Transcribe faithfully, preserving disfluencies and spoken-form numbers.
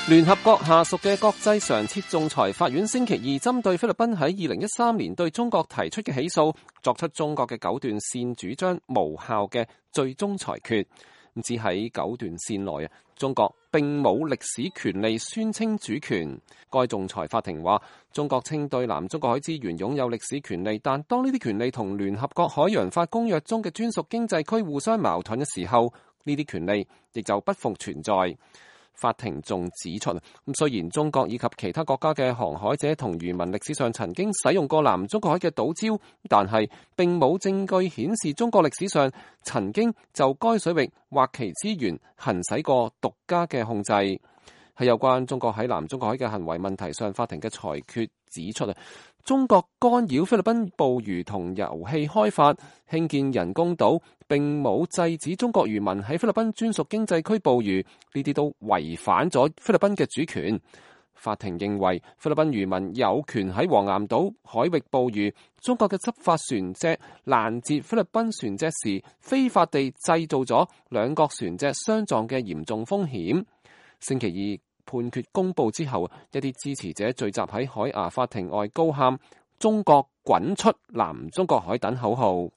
聯合國下屬嘅國際常設仲裁法院星期二針對菲律賓喺二零一三年對中國提出嘅起訴，作出中國嘅九段線主張無效嘅最終裁決。只喺九段線內啊，中國並冇歷史權利宣稱主權。該仲裁法庭話，中國稱對南中國海資源擁有歷史權利，但當呢啲權利同聯合國海洋法公約中嘅專屬經濟區互相矛盾嘅時候，呢啲權利亦就不復存在。法庭仲指出，咁雖然中國以及其他國家嘅航海者同漁民歷史上曾經使用過南中國海嘅島礁，但係並冇證據顯示中國歷史上曾經就該水域或其資源行使過獨家嘅控制。喺有關中國喺南中國海嘅行為問題上，法庭嘅裁決指出啊，中國干擾菲律賓捕魚同油氣開發、興建人工島，並冇制止中國漁民喺菲律賓專屬經濟區捕魚，呢啲都違反咗菲律賓嘅主權。法庭認為菲律賓漁民有權喺黃岩島海域捕魚，中國嘅執法船隻攔截菲律賓船隻時，非法地製造咗兩國船隻相撞嘅嚴重風險。星期二判決公佈之後，一啲支持者聚集喺海牙法庭外高喊中國滾出南中國海等口號。